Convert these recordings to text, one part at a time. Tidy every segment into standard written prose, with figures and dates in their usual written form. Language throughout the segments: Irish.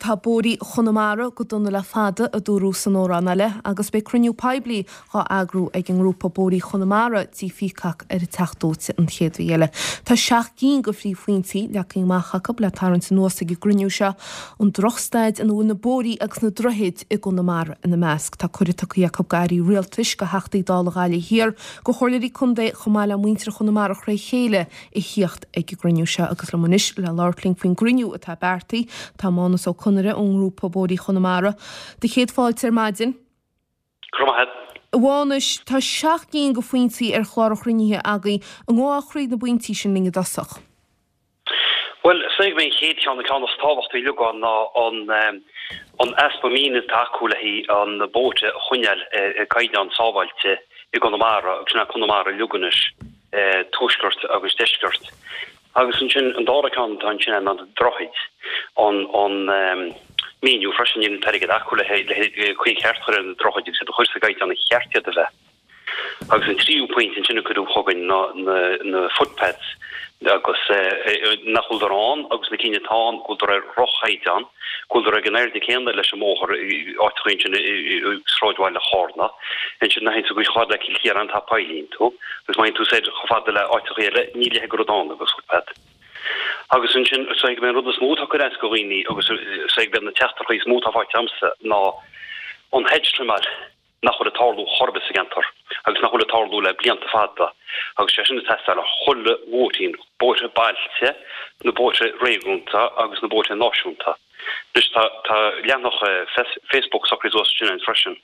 Tá bóithrí Chonamara go dona le fada, a dúradh san amhrán eile, agus beidh cruinniú poiblí dhá eagrú ag an ngrúpa Bóithrí Chonamara dTí Peacock ar an Teach Dóite an chéad mhí eile. Tá 7 gcinn de phríomhphointí leagtha amach acu le tarraingt anuas ag an gcruinniú seo, an drochstaid ina bhfuil na bóithrí agus na droichid i gConamara ina measc. Tá cuireadh tugtha acu d'airí rialtais, do Theachtaí Dála Ghaillimh Thiar, do chomhairleoirí contae chomh maith le muintir Chonamara thré chéile a thíocht ag an gcruinniú seo agus liom anois le labhairt linn faoin gcruinniú atá beartaithe tá Mánus Ó Conaire ón ngrúpa Bóithrí Chonamara. Do chéad fáilte ar maidin. Go raibh maith agat. A Mhánais, tá 7 gcinn de phointí ar chlár an chruinnithe agaibh. An ngabhfá thríd na bpointí sin linn i dtosach? Bhuel, is dóigh gurb é an chéad cheann, an ceann is tábhachtaí uilig ann ná an an easpa maoinithe atá acu le haghaidh an bóithre a choinneáil ar caighdeán sábháilte i gConamara, agus sin é Conamara uilig anois. tuaisceart agus deisceart. Agus ansin an dara ceann atá ansin ná na droichid, an an míniú freisin níl an t-airgead acu le le caoi cheart a chur ar na droichid agus iad a chur sa gcaighdeán a cheart iad a bheith. Agus an tríú pointe ansin a cuireadh chugainn ná na na footpaths agus nach bhfuileadar ann agus na cinn atá ann go bhfuileadar ar dhroch-chaighdeán. Go bhfuileadar ag an airde céanna leis an mbóthar áiteachaí ansin i sráidbhaile Chárna. Ansin má théann tú chomh fada le Cill Chiaráin tá poill iontu agus má théann tú soir chomh fada le áiteachaí eile níl a leithéid de rud ann agus footpath. Agus ansin is dóigh gurb é an rud is mó atá ag cur as do dhaoine agus is dóigh gurb iad na teachtaireachtaí is mó atá faighte agamsa ná an hedge trimeáil. nach bhfuil ag tarlú chor ar bith sa gceantar agus nach bhfuil ag tarlú le blianta fada agus sé sin ag teastáil ar chuile bhóithrín, bóithre bailte, na bóithre réigiúnta agus na bóithre náisiúnta. Anois tá tá leathanach Facebook socraithe suas ansin againn freisin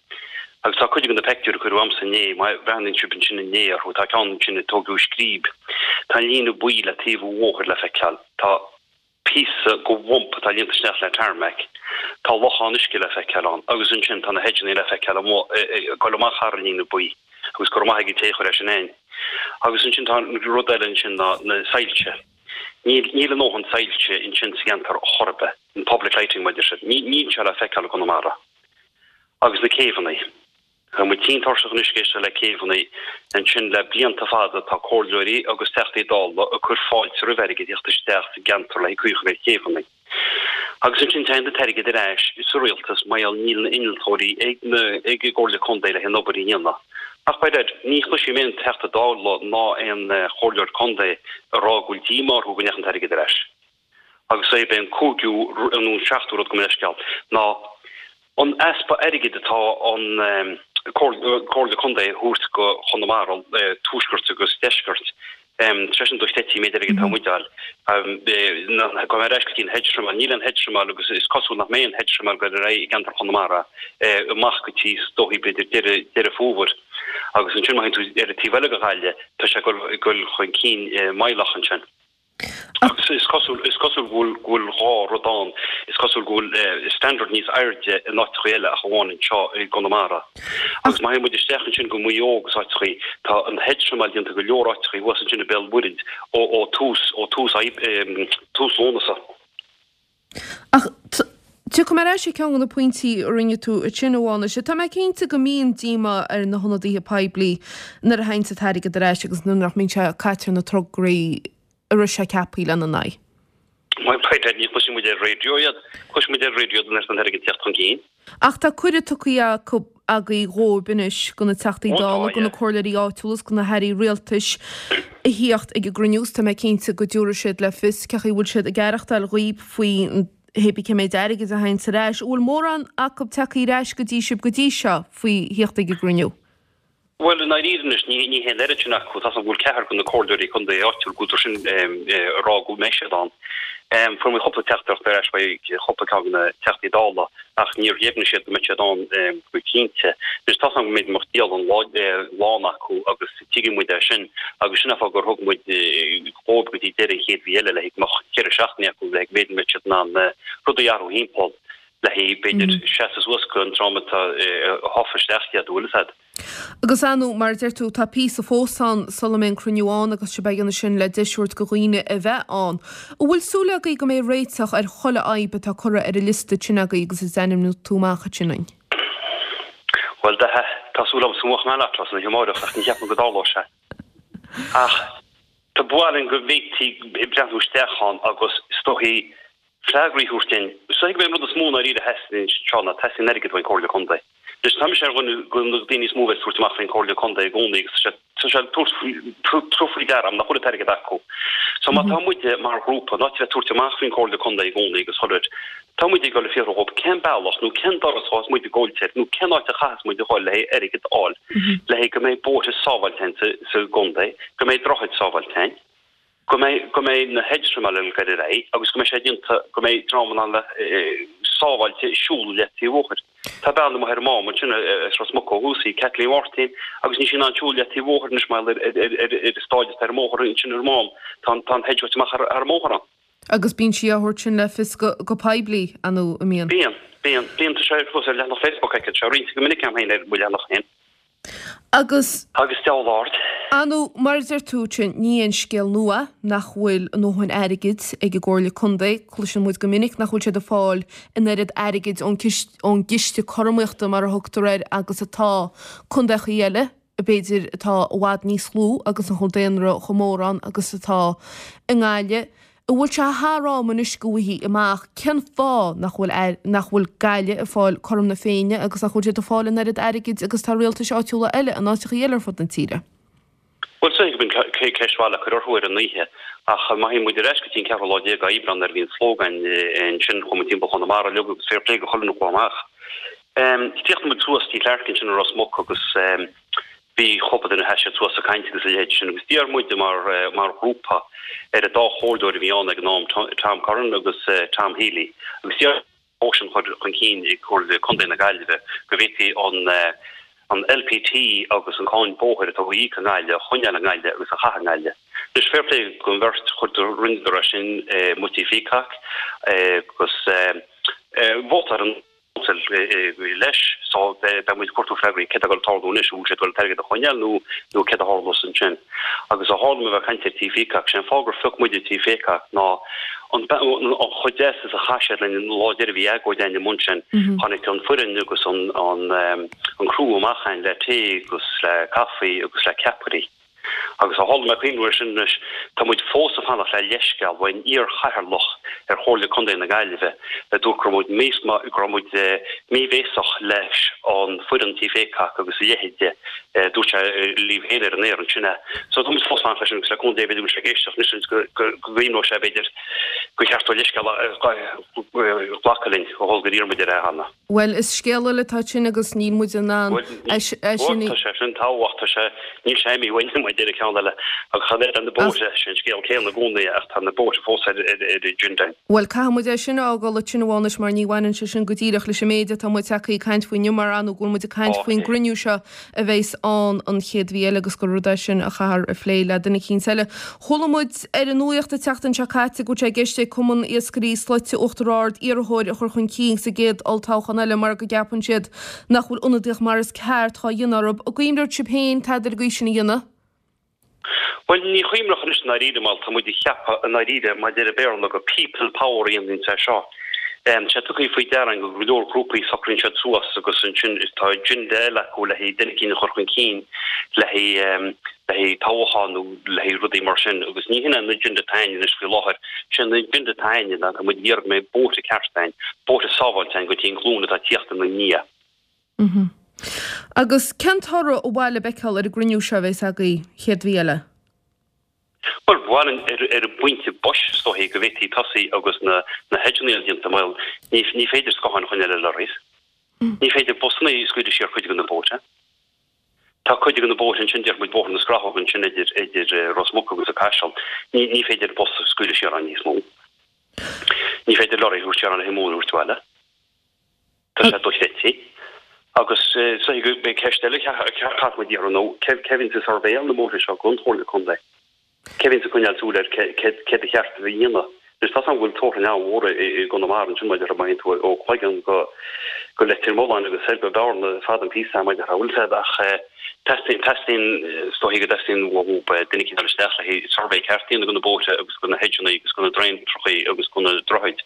agus tá cuid de na peictiúir a cuireadh a'msa inné, má bhreathnaíonn sibh ansin inné orthu, tá ceann ansin a tógadh i Scríb, tá an líne buí le taobh an bhóthair le feiceáil, tá. píosa de bhump atá líonta isteach le tarmac. Tá lochán uisce le feiceáil ann agus ansin tá na hedgeanna le feiceáil amuigh ag dul amach thar an líne buí agus go raibh maith ag an té a chuir é sin ann. Agus ansin tá an rud eile ansin ná na soilse. Níl níl a ndóthain soilse ansin sa gceantar chor ar bith, an public lighting mar a deir siad. Níl sé le feiceáil i gConamara. Agus na céibheanna. Tá muid tinn tuirseach anois ag éisteacht le céibheanna ansin le blianta fada tá comhairleoirí agus Teachtaí Dála ag cur fáilte roimh airgead theacht isteach sa gceantar le haghaidh caoi a chur ar chéibheanna. Agus ansin téann an t-airgead ar ais sa rialtas mar gheall níl na innealtóirí ag na ag an gComhairle Contae le haghaidh an obair a dhéanamh. Ach by dad, ní chloisim aon Teachta Dála ná aon chomhairleoir contae ag rá go bhfuil díomá orthu go ndeachaigh an t-airgead ar ais. Agus é b'é an cúigiú nó an seachtú rud gabh mo leithscéal ná an easpa airgid atá an Comhairle Contae a thabhairt go Chonamara, tuaisceart agus deisceart. Sé sin dochreidte an méid airgid atá muid a fháil. Gabh mé ar ais go dtí an hedge trimeáil. Níl aon hedge trimeáil agus is cosúil nach mbeidh aon hedge trimeáil ag dul ar aghaidh i gceantar Chonamara amach go dtí is dóichí b'fhéidir deireadh Deireadh Fómhair. Agus ansin má théann tú ar an taobh eile de Ghaillimh tá sé ag dul chun cinn meidhleach ansin. Agus is cosúil, is cosúil go bhfuil, go bhfuil dhá rud ann. Is cosúil go bhfuil standard níos airde in áiteachaí eile ach amháin anseo i gConamara. Agus má théann muid isteach ansin go Maigh Eo agus áiteachaí, tá an hedge trimeáil déanta go leor áiteachaí thuas ansin i Béal Mhuirthead ó, ó tús, ó tús, tús Lúnasa. Ach tiocfaidh mé ar ais ar cheann de na pointí a rinne tú ansin, a Mhánais. Tá mé cinnte go mbíonn díomá ar na hionadaithe poiblí nuair a théann an t-airgead ar ais agus nuair nach mbíonn sé caite ar na tograí a raibh sé ceaptha lena n-aghaidh. Bhuel, ní chloiseann muid ar raidió iad. Cloiseann muid ar raidió iad nuair atá an t-airgead ag teacht chun cinn. Ach tá cuireadh tugtha acu agaibh dhóibh anois, go na Teachtaí Dála, go na comhairleoirí áitiúla is go na hairí rialtais a thíocht ag an gcruinniú is tá mé cinnte go dtabharfaidh siad le fios cé chaoi a bhfuil siad ag aireachtáil dhaoib faoi hé bí cé méid airgid a théanns ar ais. An bhfuil mórán acu tagtha ar ais go dtí sibh go dtí seo faoi thíocht ag an gcruinniú? Bhuel, i ndáiríre anois, ní hé an oiread sin acu. Tá 's agam go bhfuil ceathrar de na comhairleoirí contae áitiúil, go bhfuil sin ag rá go mbeidh siad ann. Fuair muid cúpla teachtaireacht ar ais uaidh chúpla ceann de na Teachtaí Dála ach níor dheimhnigh siad go mbeidh siad ann go cinnte. Anois, tá 's agam go mbeidh dialann lán acu agus tuigeann muid é sin agus sin an fáth gur thug muid dhóibh go dtí deireadh an chéad mhí eile le haghaidh go mbeadh cheithre seachtainí acu le haghaidh b'fhéidir go mbeadh siad in ann rudaí a athrú thimpeall le haghaidh b'fhéidir seasamh suas go an tráth atá thofa isteach iad, an bhfuil 'fhios a'd. Agus ar ndóigh, mar a deir tú, tá píosa fós ann sula mbeidh an cruinniú ann agus sibh ag déanamh sin le deis a thabhairt go dhaoine a bheith ann. An bhfuil súil agaibh go mbeidh réiteach ar chuile fhadhb atá curtha ar an liosta sin agaibh agus a d'ainmnigh tú amach ansin dúinn? Bhuel, tá súil agam go mbuafadh mé an lotto san oíche amárach ach ní cheapaim go dtarlóidh sé. Ach tá baol ann go bhféadfaí breathnú isteach ann agus is dóichí. Freagraí a thabhairt dúinn. Is dóigh gurb é an rud is mó i ndáiríre a theastaíonn anseo ná teastaíonn airgead ón Chomhairle Contae. Anois tá mise ar dhuine de na daoine is mó a bheas ag tabhairt amach faoin Chomhairle Contae i gcónaí agus tá sé tá sé tabhairt faoi deara agam nach bhfuil an t-airgead acu. So má tá muide mar ghrúpa in áit a bheith ag tabhairt amach faoin Chomhairle Contae i gcónaí agus chuile rud, tá muide ag dul ag fiafraí dhóibh cén bealach nó cén doras a ghabhfas muid ag gabhailt air nó cén áit a chaithfeas muid a dhul le haghaidh airgead a fháil le haghaidh go mbeidh bóithre sábháilte againn sa sa gcontae, go mbeidh droichid sábháilte againn. go mbeidh, go mbeidh na hedge trimeáil ag goil ar aghaidh agus go mbeidh sé déanta, go mbeidh dream in ann a bheith sábháilte ag siúl leath taobh an bhóthair. Tá bean amuigh ar an Mám ansin as Ros Muc ó thús, í Kathleen Mháirtín, agus níl sí in ann siúl leath taobh an bhóthair anois mar gheall ar, ar, ar, ar an stáid atá ar an mbóthar ansin ar an Mám. Tá an, tá an hedge amach thar, thar an mbóthar ann. Agus bíonn sí á thabhairt sin le fios go, go poiblí, an mbíonn? Bíonn, bíonn, bíonn. Tá sé fós ar leathanach Facebook aici, tá sé roinnte go minic agam féin ar mo leathanach féin. Agus. Agus deabhal ard. Ar ndóigh, mar a deir tú, sin, ní aon scéal nua nach bhfuil a ndóthain airgid ag an gComhairle Contae. Cloiseann muid go minic nach bhfuil siad ag fáil an oiread airgid ón ón gciste cothromaíochta, mar a thugtar air, agus atá contaechaí eile, b'fhéidir, atá i bhfad níos lú agus nach bhfuil daonra chomh mór ann agus atá i nGaillimh. An bhfuil sé thar am anois go bhfaighfí amach cén fáth nach bhfuil nach bhfuil Gaillimh ag fáil cothrom na Féinne agus nach bhfuil siad ag fáil an oiread airgid agus atá rialtais áitiúla eile in áiteachaí eile ar fud na tíre? Bhuel, is dóigh go b'in ceist mhaith le cur orthu ar an oíche, ach má théann muid ar ais go dtí an ceathrú lá déag d'Aibreán nuair a bhí an slógadh ansin, chuaigh muid timpeall Chonamara uilig agus fair play do chuile dhuine a chuaigh amach. Chríochnaigh muid suas Tigh Clarke ansin i Ros Muc agus Bhí cúpla duine sheas siad suas ag caint agus a leithéid sin agus d'iarr muide mar mar ghrúpa ar an dá chomhairleoir a bhí ann ag an am, Tom Curran agus Tom Healy, agus d'iarr motion a chur chun cinn ag Comhairle Contae na Gaillimhe go bhféadfaí an an LPT agus an cáin bóthair atá á íoc i nGaillimh a choinneáil i nGaillimh agus a chaitheamh i nGaillimh. Anois fair play don bheirt chuir rinneadar é sin amuigh Tigh Pheacock agus vótáil an leis. So beidh muid ag cuartú freagraí céard atá ag dul tarlú anois, an bhfuil siad ag dul an t-airgead a choinneáil nó nó céard a tharlós ansin. Agus ó tharla mé bheith ag caint ar Tigh Pheacock, sé an fáth gur phioc muide Tigh Pheacock ná an an chomh deas is a chaith siad linn an lá deiridh a bhí agóid againn amuigh ansin. Tháinig an foireann agus an an an criú amach chugainn le tae agus le caife agus le ceapairí. Agus ó tharla mé ag cuimhniú air sin anois, tá muid fós ag fanacht le leithscéal ón iar-chathaoirleach ar Chomhairle Contae na Gaillimhe a dúirt go raibh muid go raibh muid míbhéasach leis an foireann Tigh Pheacock agus a leithéid de. Dúirt sé libh féin ar an aer ansin é. So tá muid fós ag fanacht leis sin agus le cúnamh Dé b'fhéidir go bhfuil sé ag éisteacht anois agus go gcuimhneoidh sé b'fhéidir gur cheart dó leithscéal a ghlacadh linn ó tharla gur iarr muid air é cheana. Bhuel, is scéal eile atá ansin agus níl muid in ann é sin a. Tá sé sin tábhachtach, tá sé, níl sé imithe uainn, mar a deir an ceann eile. Agus chan ar na bóithre, sé an scéal céanna i gcónaí ach tá na bóithre fós ar agenda. Bhuel, caithfidh muid é sin a fhágáil ansin a Mhánais mar ní bhaineann sé sin go díreach leis an méid atá muid tagtha ag caint faoi inniu mar ar ndóigh go bhfuil muid ag caint faoin gcruinniú seo a bheas ann an chéad mhí eile agus gur rud é sin a chaithfear a phlé le duine eicínt eile. Chuala muid ar an nuaíocht an tseachtain seo caite go bhfuil sé i gceist ag Cumann Iascairí Slaite Uachtar Ard iarrthóir a chur chun cinn sa gcéad olltoghchán eile mar go gceapann siad nach bhfuil ionadaíocht mar is ceart dhá dhéanamh orthu. An gcuimhneodh sibh féin tada ar an gcaoi sin a dhéanamh? Bhuel, ní chuimhneodh anois i ndáiríre mar tá muid ag ceapadh i ndáiríre mar a deir an Béarla gur people power a dhéananns é seo. Tá sé tugtha faoi deara againn go go leor grúpaí socraíonn siad suas agus ansin tá agenda eile acu le haghaidh duine eicínt a chur chun cinn le haghaidh le haghaidh toghchán nó le haghaidh rudaí mar sin agus ní hin é an agenda atá againn anois faoi láthair. Sé an agenda atá againn ná tá muid ag iarraidh go mbeidh bóithre cearta againn, bóithre sábháilte againn go dtí an ghlúin atá ag tíocht ina ndiaidh. Agus cén toradh ba mhaith libh a fheiceáil ar an gcruinniú seo a bheas agaibh chéad mhí eile? Bhuel, ba mhaith linn ar ar an bpointe boise is dóichí go bhféadfaí tosaí agus na na hedgeanna déanta mar ní ní féidir scátháin a choinneáil ar lorries. Ní féidir busanna a scaoileadh siar cuid de na bóithre. Tá cuid de na bóithre ansin, déarfaidh muid Bóthar na Scrathóg ansin idir idir Ros Muc agus an Caiseal, ní ní féidir bus a scaoileadh siar ann níos mó. Ní féidir lorry a thabhairt siar ann le haghaidh móin a thabhairt abhaile. Tá sé dochreidte. Agus is dóichí go mbeidh ceist eile a chaithfidh muid iarraidh nó cé a bhíonns ag suirbhéáil na mbóithre seo don Chomhairle Contae? Cé a bhíonns ag coinneáil súil ar céard ba cheart a bheith a dhéanamh? Anois tá 's agam go bhfuil toghrann an-mhór i gConamara ansin mar a déarfá má théann tú ó Chloigeann go go Leitir Mealláin agus soir go Bearna fada an píosa mar a déarfá bhfuil 's agat ach Teastaíonn, teastaíonn, is dóichí go dteastaíonn uathu duine eicínt a dhul isteach le haghaidh suirbhé ceart a dhéanamh de na bóithre agus de na hedgeanna agus de na draenachaí agus de na droichid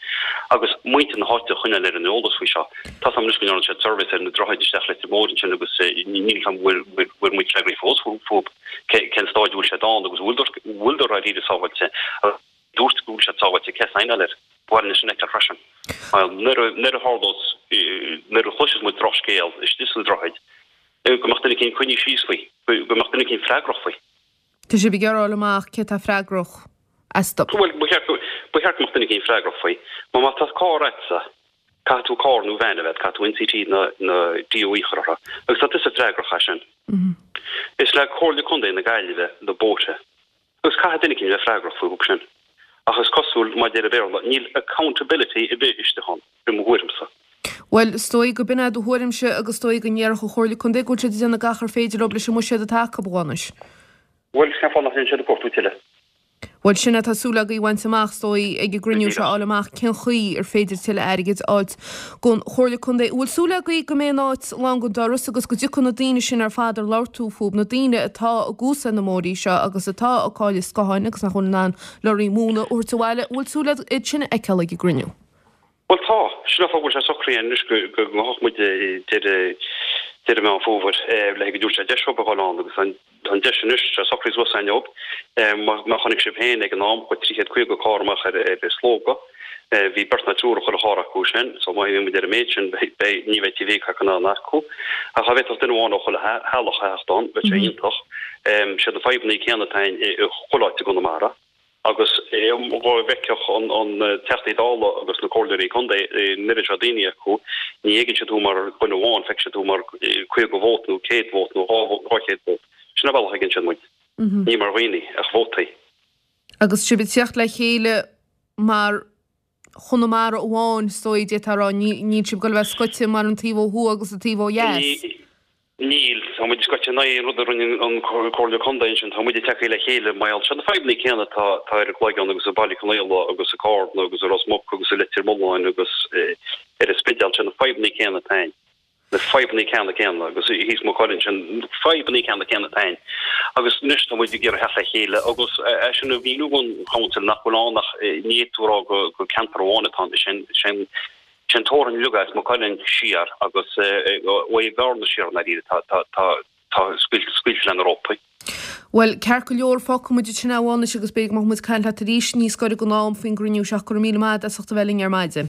agus muintir na háite a choinneáil ar an eolas faoi seo. Tá 's agam anois go ndearna siad suirbhé ar na droichid isteach Leitir Móir ansin agus níl 'fhios agam bhfuil, bhfuair muid freagraí fós fúthu cén stáid a bhfuil siad ann agus bhfuil, bhfuileadar dáiríre sábháilte. Dúirt go bhfuil siad sábháilte, cé a saighneáil air? Ba mhaith linn sin a fheiceáil freisin. Nuair a tharlós, nuair a chloisfeas muid drochscéal istigh sna Droichid, go mbeadh duine eicínt coinnithe síos faoi, go mbeadh duine eicínt freagrach faoi. Tá sibh ag iarraidh a fháil amach cé atá freagrach astu. Bhuel, ba cheart go mbeadh duine eicínt freagrach faoi. Mar má tá carr agatsa, caithfidh tú carr nó veain a bheith agat, caithfidh tú NCT nó DOE a chur orthu, agus tá tusa freagrach as sin. Is le Comhairle Contae na Gaillimhe na bóithre. Agus caithfidh duine eicínt a bheith freagrach fúthu sin. Ach is cosúil, mar a deir an Béarla, níl accountability ar bith istigh ann, i mo thuairimse. Bhuel, is dóigh go b'in é do thuairimse agus is dóigh go ndéarfadh an Chomhairle Contae go bhfuil siad ag déanamh gach ar féidir leo leis an mbuiséad atá acu, a Mhánais. Bhuel, cén fáth nach ndéanann siad ag cuartú tuilleadh? Bhuel, sin é atá súil agaibh a bhaint amach, is dóigh, ag an gcruinniú seo, a fháil amach cén chaoi ar féidir tuilleadh airgid a fháilt gon Chomhairle Contae. An bhfuil súil agaibh go mbeidh an áit lán go doras agus go dtiocfaidh na daoine sin ar fad ar labhair tú fúb, na daoine atá ag úsáid na mbóithrí seo agus atá ag cailleadh scotháin agus nach bhfuil in ann lorraí móna a thabhairt abhaile, an bhfuil súil agat iad sin a fheiceáil ag an gcruinniú? Bhuel tá. Sin an fáth go bhfuil sé socraithe anois go ngabhfadh muid deireadh deireadh Meán Fómhair le go dtabharfaidh sé deis dóibh a dhul ann agus an deis anois, tá sé socraithe suas againn dóibh. Mar chonaic sibh féin ag an am, chuaigh 350 carr amach ar ar Slógadh. Bhí beirt nó triúr ag chuile charr acu sin, so má bhíonn muid ar an méid sin beidh, ní bheidh TVCAC in ann acu. Ach dá bhféadfadh duine amháin ó chuile theaghlach a theacht ann, bheadh sé iontach. Siad na fadhbanna céanna atá i chuile áit i gConamara. Agus dhá bhfeicfeadh an Teachtaí Dála agus na Comhairleoirí Contae an oiread seo daoine acu, ní fheiceann siad thú mar dhuine amháin, feicfidh siad thú mar 50 vóta nó 100 vóta nó 200 vóta. Sin an bealach a fheiceann siad muid. Ní mar dhaoine, ach vótaí. Agus sibh ag tíocht le chéile mar Chonamara amháin, is dóigh, d'fhéadfá a rá, níl sibh ag dul a bheith scoite mar an taobh ó thuaidh agus an taobh ó dheas. Níl. Tá muid scoite in aghaidh an rud a rinne an Comhairle Contae ansin. Tá muid ag teacht le chéile mar gheall. Siad na fadhbanna céanna atá ar an gCloigeann agus i Baile Conaola agus i Carna agus i Ros Muc agus i Leitir Mealláin agus ar an Spidéal. Siad na fadhbanna céanna atá ann. Na fadhbanna ceanna céanna agus thíos Maigh Cuilinn. Siad na fadhbanna ceanna céanna atá ann. Agus anois tá muid ag iarraidh theacht le chéile agus é sin a mhíniú don Chouncil nach bhfuil ann ach ní fhéadfá a rá go ceantar amháin atá ann. Sin Sé an teorainn uilig as Maigh Cuilinn siar agus ó Bhearna siar i ndáiríre tá tá scaoilte le na rópaí. Bhuel, ceart go leor, fágfaidh muid ansin é a Mhánais agus b'fhéidir go mbeidh muid ag caint leat arís níos gaire don am faoin gcruinniú seo. Go raibh míle maith agat as ucht a bheith linn ar maidin.